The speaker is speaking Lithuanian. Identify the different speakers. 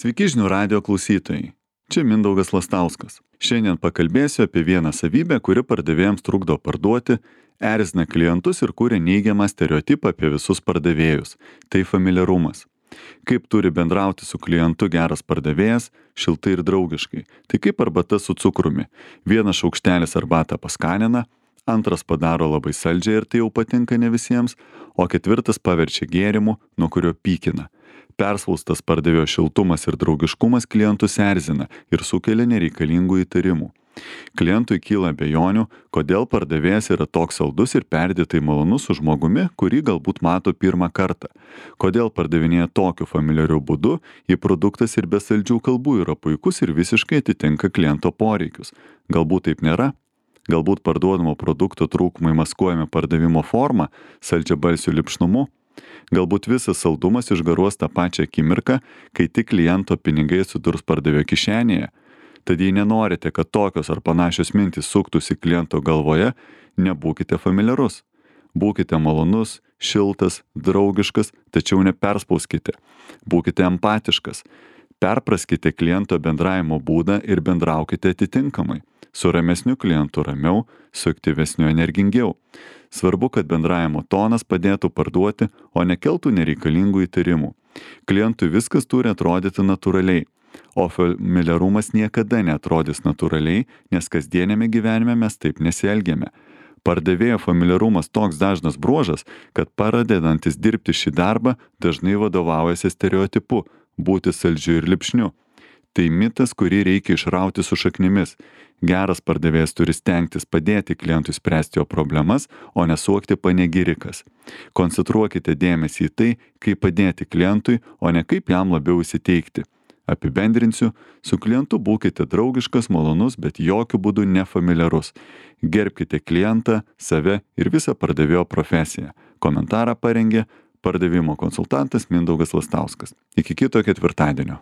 Speaker 1: Sveiki žinių radijo klausytojai. Čia Mindaugas Lastauskas. Šiandien pakalbėsiu apie vieną savybę, kuri pardavėjams trukdo parduoti, erzina klientus ir kuria neigiamą stereotipą apie visus pardavėjus. Tai familiarumas. Kaip turi bendrauti su klientu geras pardavėjas, šiltai ir draugiškai. Tai kaip arbata su cukrumi. Vienas šaukštelis arbatą paskanina, antras padaro labai saldžią ir tai jau patinka ne visiems, o ketvirtas paverčia gėrimu, nuo kurio pykina. Perspaustas pardavėjo šiltumas ir draugiškumas klientus erzina ir sukelia nereikalingų įtarimų. Klientui kyla abejonių, kodėl pardavėjas yra toks saldus ir perdėtai malonus su žmogumi, kurį galbūt mato pirmą kartą. Kodėl pardavinėja tokiu familiariu būdu, jei produktas ir be saldžių kalbų yra puikus ir visiškai atitinka kliento poreikius. Galbūt taip nėra? Galbūt parduodamo produkto trūkumai maskuojami pardavimo forma, saldžiabalsiu lipšnumu? Galbūt visas saldumas išgaruos tą pačią akimirką, kai tik kliento pinigai atsidurs pardavėjo kišenėje. Tad jei nenorite, kad tokios ar panašios mintys suktųsi kliento galvoje, nebūkite familiarus. Būkite malonus, šiltas, draugiškas, tačiau neperspauskite. Būkite empatiškas. Perpraskite kliento bendravimo būdą ir bendraukite atitinkamai. Su ramesniu klientu ramiau, su aktyvesniu energingiau. Svarbu, kad bendravimo tonas padėtų parduoti, o nekeltų nereikalingų įtarimų. Klientui viskas turi atrodyti natūraliai, o familiarumas niekada neatrodys natūraliai, nes kasdienėme gyvenime mes taip nesielgiame. Pardavėjo familiarumas toks dažnas bruožas, kad pradedantis dirbti šį darbą dažnai vadovaujasi stereotipu būti saldžiu ir lipšniu. Tai mitas, kurį reikia išrauti su šaknimis. Geras pardavėjas turi stengtis padėti klientui spręsti jo problemas, o nesuokti panegirikas. Koncentruokite dėmesį į tai, kaip padėti klientui, o ne kaip jam labiau įsiteikti. Apibendrinsiu, su klientu būkite draugiškas, malonus, bet jokių būdų nefamiliarus. Gerbkite klientą, save ir visą pardavėjo profesiją. Komentarą parengė pardavimo konsultantas Mindaugas Lastauskas. Iki kito ketvirtadienio.